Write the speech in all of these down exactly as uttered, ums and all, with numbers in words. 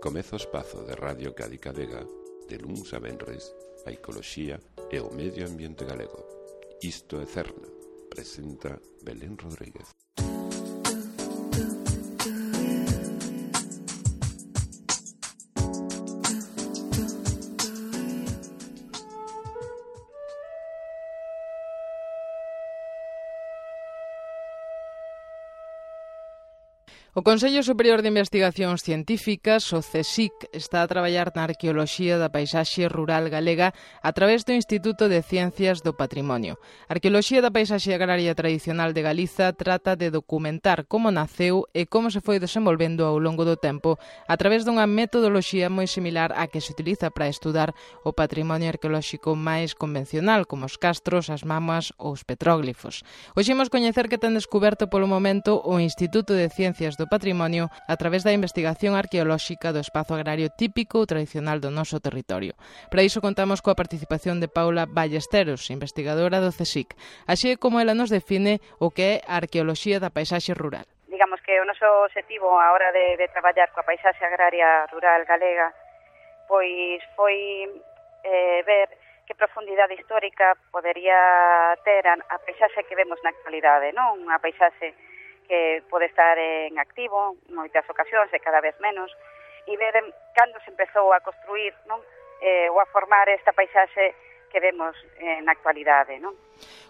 Comeza o espazo de Radio Cádiz Vega de luns a venres a ecoloxía e o medio ambiente galego. Isto é Cerna, presenta Belén Rodríguez. O Consello Superior de Investigacións Científicas, o CSIC, está a traballar na arqueoloxía da paisaxe rural galega a través do Instituto de Ciencias do Patrimonio. A arqueoloxía da paisaxe agraria tradicional de Galiza trata de documentar como naceu e como se foi desenvolvendo ao longo do tempo a través dunha metodoloxía moi similar á que se utiliza para estudar o patrimonio arqueolóxico máis convencional, como os castros, as mamas ou os petróglifos. Hoxe imos coñecer que ten descoberto polo momento o Instituto de Ciencias do Patrimonio a través da investigación arqueolóxica do espazo agrario típico ou tradicional do noso territorio. Para iso contamos coa participación de Paula Ballesteros, investigadora do CSIC. Así é como ela nos define o que é a arqueoloxía da paisaxe rural. Digamos que o noso objetivo a hora de, de traballar coa paisaxe agraria rural galega pois foi eh, ver que profundidade histórica podería ter a, a paisaxe que vemos na actualidade, non? Unha paisaxe que pode estar en activo en moitas ocasións e cada vez menos, e ver cando se empezou a construir, non? Eh, ou a formar esta paisaxe que vemos eh, na actualidade, non?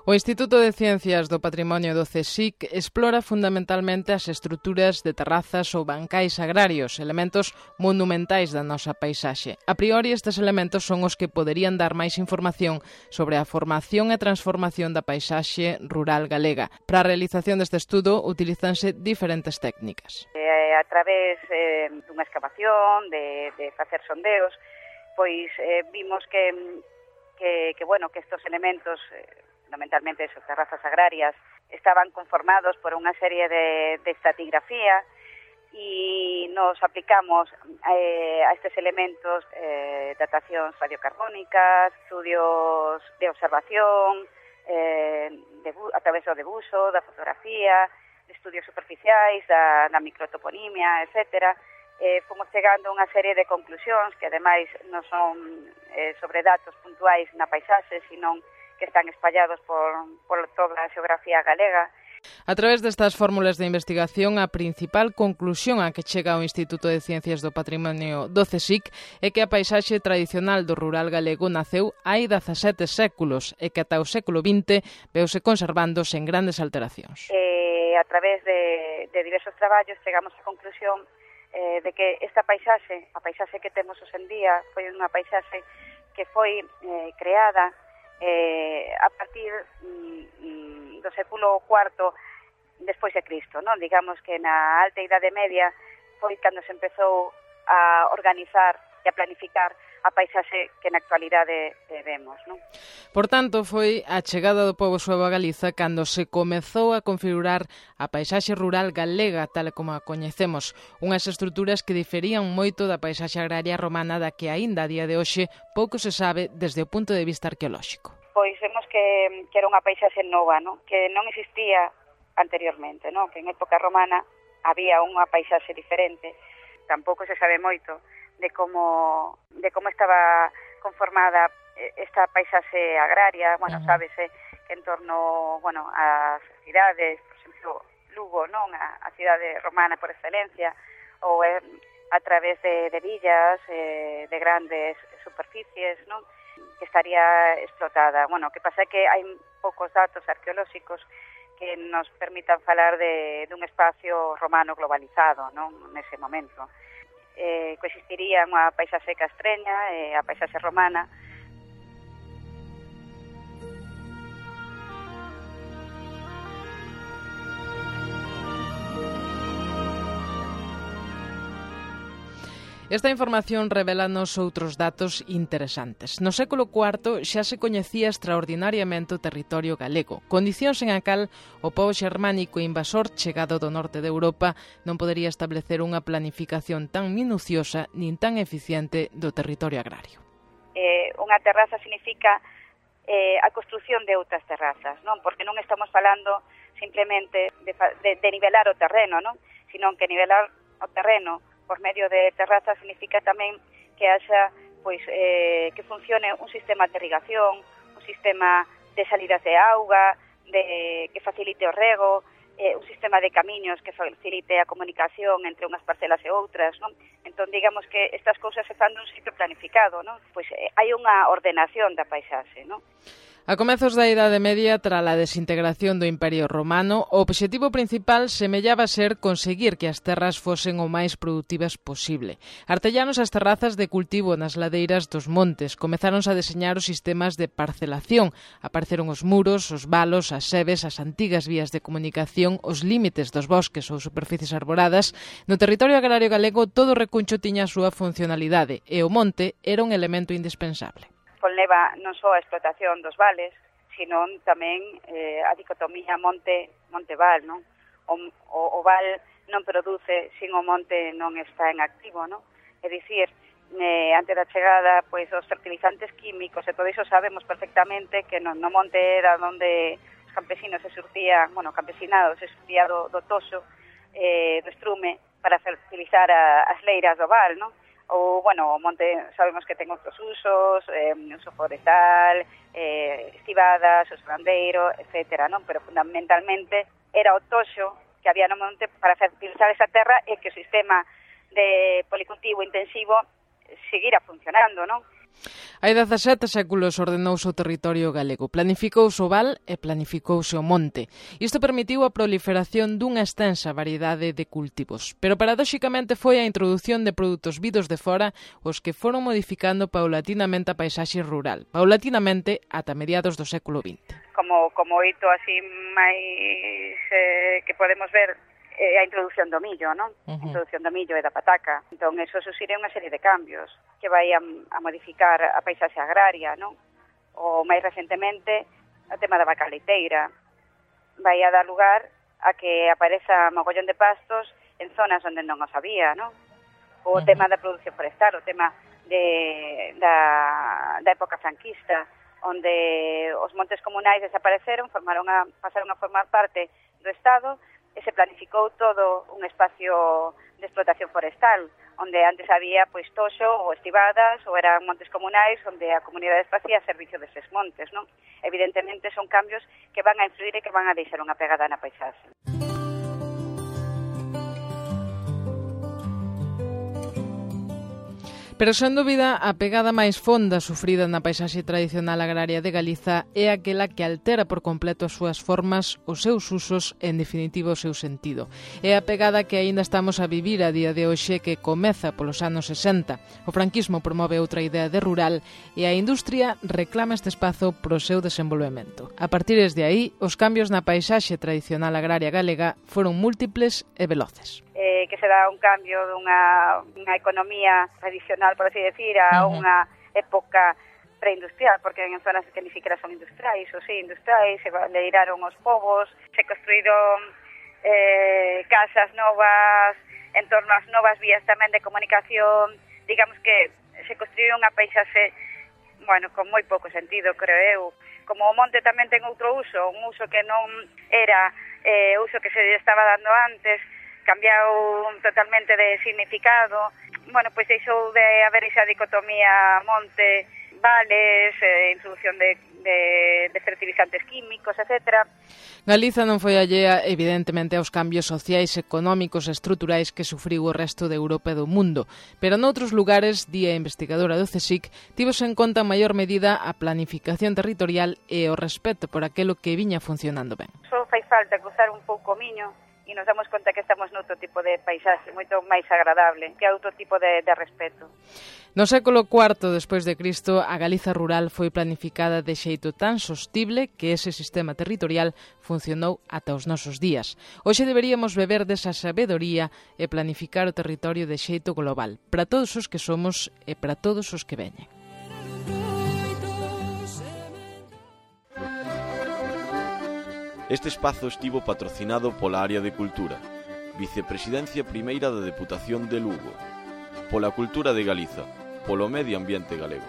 O Instituto de Ciencias do Patrimonio do CSIC explora fundamentalmente as estruturas de terrazas ou bancais agrarios, elementos monumentais da nosa paisaxe. A priori, estes elementos son os que poderían dar máis información sobre a formación e transformación da paisaxe rural galega. Para a realización deste estudo, utilizanse diferentes técnicas. Eh, a través eh, dunha excavación, de, de facer sondeos, pois eh, vimos que, que, que, bueno, que estos elementos... Eh, fundamentalmente esas terrazas agrarias, estaban conformados por unha serie de, de estratigrafía e nos aplicamos eh, a estes elementos eh, datacións radiocarbónicas, estudios de observación, eh, de, a través do debuxo, da fotografía, de estudios superficiais, da, da microtoponimia, etcétera. Eh, fomos chegando a unha serie de conclusións que ademais non son eh, sobre datos puntuais na paisaxe, sino que están espallados por, por toda a xeografía galega. A través destas fórmulas de investigación, a principal conclusión a que chega o Instituto de Ciencias do Patrimonio do CSIC é que a paisaxe tradicional do rural galego naceu hai dezasete séculos e que ata o século vinte veuse conservando sen grandes alteracións. Eh, a través de, de diversos traballos chegamos á conclusión eh, de que esta paisaxe, a paisaxe que temos hoxe en día, foi unha paisaxe que foi eh, creada Eh, a partir mm, do século cuarto despois de Cristo, non? Digamos que na Alta Idade Media foi cando se empezou a organizar e a planificar a paisaxe que na actualidade eh, vemos, non? Por tanto, foi a chegada do pobo suevo a Galiza cando se comezou a configurar a paisaxe rural galega tal como a coñecemos, unhas estruturas que diferían moito da paisaxe agraria romana da que aínda a día de hoxe pouco se sabe desde o punto de vista arqueolóxico. Pois vemos que, que era unha paisaxe nova, non? Que non existía anteriormente, non? Que en época romana había unha paisaxe diferente, tampouco se sabe moito de como de como estaba conformada esta paisaxe agraria, bueno, uh-huh. Sábese que en torno, bueno, ás cidades, por exemplo, Lugo, non, a, a cidade romana por excelencia, ou eh, a través de, de villas, eh, de grandes superficies, non, que estaría explotada. Bueno, que pasa é que hai poucos datos arqueolóxicos que nos permitan falar de dun espacio romano globalizado, non, nese momento. Eh, coexistiría unha paisaxe castreña e a paisaxe romana. Esta información revelanos outros datos interesantes. No século cuarto xa se coñecía extraordinariamente o territorio galego, condicións en a cal o pobo xermánico invasor chegado do norte de Europa non podería establecer unha planificación tan minuciosa nin tan eficiente do territorio agrario. Eh, unha terraza significa eh, a construción de outras terrazas, non? Porque non estamos falando simplemente de, de, de nivelar o terreno, non? Sino que nivelar o terreno por medio de terrazas significa tamén que haxa, pois, eh, que funcione un sistema de irrigación, un sistema de salidas de auga, de, que facilite o rego, eh, un sistema de camiños que facilite a comunicación entre unhas parcelas e outras, non? Entón, digamos que estas cousas se fan dun sitio planificado, non? Pois eh, hai unha ordenación da paisaxe, non? A comezos da Idade Media, tras a desintegración do Imperio Romano, o obxectivo principal semellaba ser conseguir que as terras fosen o máis produtivas posible. Artellanos as terrazas de cultivo nas ladeiras dos montes, comezáronse a deseñar os sistemas de parcelación, apareceron os muros, os valos, as sebes, as antigas vías de comunicación, os límites dos bosques ou superficies arboradas. No territorio agrario galego todo o recuncho tiña a súa funcionalidade e o monte era un elemento indispensable. Conleva non só a explotación dos vales, sino tamén eh, a dicotomía monte-monte-val, non? O, o, o val non produce sin o monte non está en activo, non? É dicir, eh, antes da chegada, pois, os fertilizantes químicos, e todo iso sabemos perfectamente que no, no monte era onde os campesinos se surtían, bueno, campesinado se surtía do, do toso, eh, do estrume, para fertilizar a, as leiras do val, non? Ou, bueno, o monte sabemos que ten outros usos, eh, uso forestal, eh, estivadas, uso gandeiro, etcétera, non? Pero fundamentalmente era o toxo que había no monte para fertilizar esa terra e que o sistema de policultivo intensivo seguira funcionando, non? Hai dezasete séculos ordenouse o territorio galego, planificouse o val e planificouse o monte. Isto permitiu a proliferación dunha extensa variedade de cultivos, pero paradóxicamente foi a introdución de produtos vidos de fora os que foron modificando paulatinamente a paisaxe rural, paulatinamente ata mediados do século vinte. Como, como hito así máis eh, que podemos ver é a introducción do millo, non? Uh-huh. A introducción do millo e da pataca. Entón, eso susire unha serie de cambios que vai a, a modificar a paisaxe agraria, non? O máis recentemente, o tema da vaca leiteira vai a dar lugar a que apareza mogollón de pastos en zonas onde non os había, non? O uh-huh. tema da produción forestal, o tema de, da, da época franquista, onde os montes comunais desapareceron, formaron a, pasaron a formar parte do Estado, e se planificou todo un espacio de explotación forestal, onde antes había pois toxo ou estivadas, ou eran montes comunais, onde a comunidade facía servicio deses montes, non? Evidentemente son cambios que van a influir e que van a deixar unha pegada na paisaxe. Pero, sen dúbida, a pegada máis fonda sufrida na paisaxe tradicional agraria de Galiza é aquela que altera por completo as súas formas, os seus usos e, en definitiva, o seu sentido. É a pegada que aínda estamos a vivir a día de hoxe, que comeza polos anos sesenta. O franquismo promove outra idea de rural e a industria reclama este espazo pro seu desenvolvemento. A partir de aí, os cambios na paisaxe tradicional agraria galega foron múltiples e veloces. Eh, que se dá un cambio dunha unha economía tradicional, por así decir, a uh-huh. unha época preindustrial, porque en zonas que ni siquiera son industriais, ou sí, industriais, se leiraron os povos, se construíron eh, casas novas, en torno ás novas vías tamén de comunicación, digamos que se construíron unha paisaxe, bueno, con moi pouco sentido, creo eu. Como o monte tamén ten outro uso, un uso que non era eh, uso que se estaba dando antes, cambiou totalmente de significado, bueno, pois deixou de haber esa dicotomía monte-vales, eh, introducción de, de, de fertilizantes químicos, etcétera. Galiza non foi allea, evidentemente, aos cambios sociais, económicos e estruturais que sufriu o resto de Europa e do mundo, pero noutros lugares, di a investigadora do CSIC, tivose en conta en maior medida a planificación territorial e o respeto por aquilo que viña funcionando ben. Só fai falta cruzar un pouco o miño e nos damos conta que estamos noutro tipo de paisaxe moito máis agradable, que é outro tipo de, de respeto. No século cuarto despois de Cristo, a Galiza rural foi planificada de xeito tan sostible que ese sistema territorial funcionou ata os nosos días. Hoxe deberíamos beber desa sabedoría e planificar o territorio de xeito global, para todos os que somos e para todos os que veñen. Este espazo estivo patrocinado pola Área de Cultura, Vicepresidencia Primeira da Deputación de Lugo, pola Cultura de Galiza, polo Medio Ambiente Galego.